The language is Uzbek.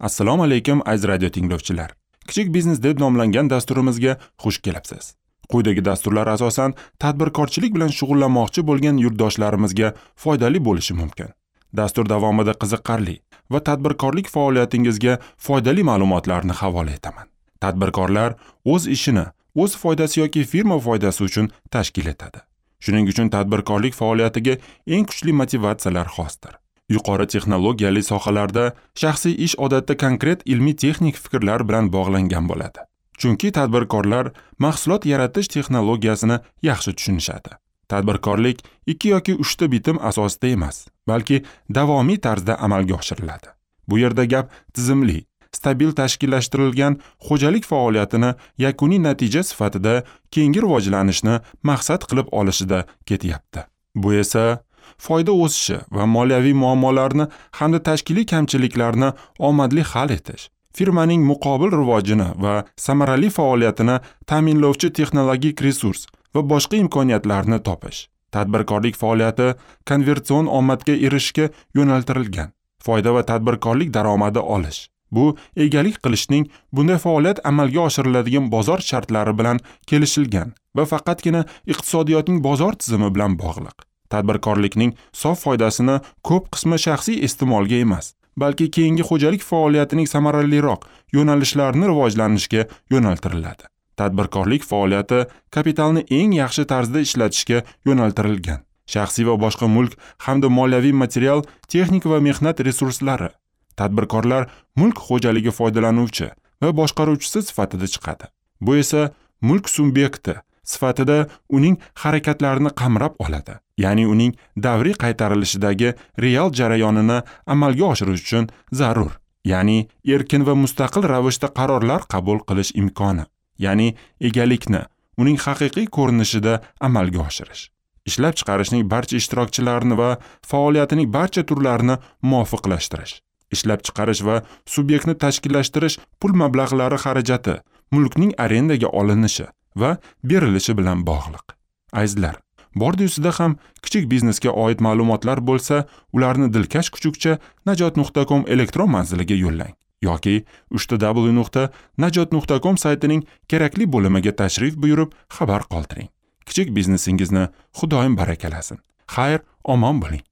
Assalomu alaykum aziz radio tinglovchilar. Kichik biznes deb nomlangan dasturimizga xush kelibsiz. Quyidagi dasturlar asosan tadbirkorchilik bilan shug'ullanmoqchi bo'lgan yurtdoshlarimizga foydali bo'lishi mumkin. Dastur davomida qiziqarli va tadbirkorlik faoliyatingizga foydali ma'lumotlarni havola etaman. Tadbirkorlar o'z ishini o'z foydasi yoki firma foydasi uchun tashkil etadi. Shuning uchun tadbirkorlik faoliyatiga eng kuchli motivatsiyalar xosdir. Yuqori texnologiyali sohalarda shaxsiy ish odatda konkret ilmiy-texnik fikrlar bilan bog'langan bo'ladi. Chunki tadbirkorlar mahsulot yaratish texnologiyasini yaxshi tushunishadi. Tadbirkorlik 2 yoki 3 ta bitim asosida emas, balki davomiy tarzda amalga oshiriladi. Bu yerda gap tizimli, stabil tashkillashtirilgan xo'jalik faoliyatini yakuniy natija sifatida keyingi rivojlanishni maqsad qilib olishida ketyapti. Bu esa foyda o'sishi va moliyaviy muammolarni hamda tashkiliy kamchiliklarni omadli hal etish, firmaning muqobil rivojini va samarali faoliyatini ta'minlovchi texnologik resurs va boshqa imkoniyatlarni topish. Tadbirkorlik faoliyati konvertsion omadga erishishga yo'naltirilgan. Foyda va tadbirkorlik daromadi olish. Bu egalik qilishning bunday faoliyat amalga oshiriladigan bozor shartlari bilan kelishilgan va faqatgina iqtisodiyotning bozor tizimi bilan bog'liq. Tadbirkorlikning sof foydasini ko'p qismi shaxsiy iste'molga emas, balki keyingi xo'jalik faoliyatining samaraliroq yo'nalishlarini rivojlanishga yo'naltiriladi. Tadbirkorlik faoliyati kapitalni eng yaxshi tarzda ishlatishga yo'naltirilgan. Shaxsiy va boshqa mulk hamda moliyaviy material, texnik va mehnat resurslari. Tadbirkorlar mulk xo'jaligi foydalanuvchi va boshqaruvchisi sifatida chiqadi. Bu esa mulk subyekti sifatida uning harakatlarini qamrab oladi. Ya'ni uning davriy qaytarilishidagi real jarayonini amalga oshirish uchun zarur, ya'ni erkin va mustaqil ravishda qarorlar qabul qilish imkoni, ya'ni egalikni uning haqiqiy ko'rinishida amalga oshirish. Ishlab chiqarishning barcha ishtirokchilarini va faoliyatining barcha turlarini muvofiqlashtirish. Ishlab chiqarish va subyektni tashkillashtirish pul mablag'lari xarajati, mulkning arendaga olinishi va berilishi bilan bog'liq. Azizlar, bordi-yusida ham kichik biznesga oid ma'lumotlar bo'lsa, ularni dilkash kuchukcha najot.com elektron manziliga yo'llang yoki www.najot.com saytining kerakli bo'limiga tashrif buyurib xabar qoldiring. Kichik biznesingizni Xudoyim barakalasin. Xayr, omon bo'ling.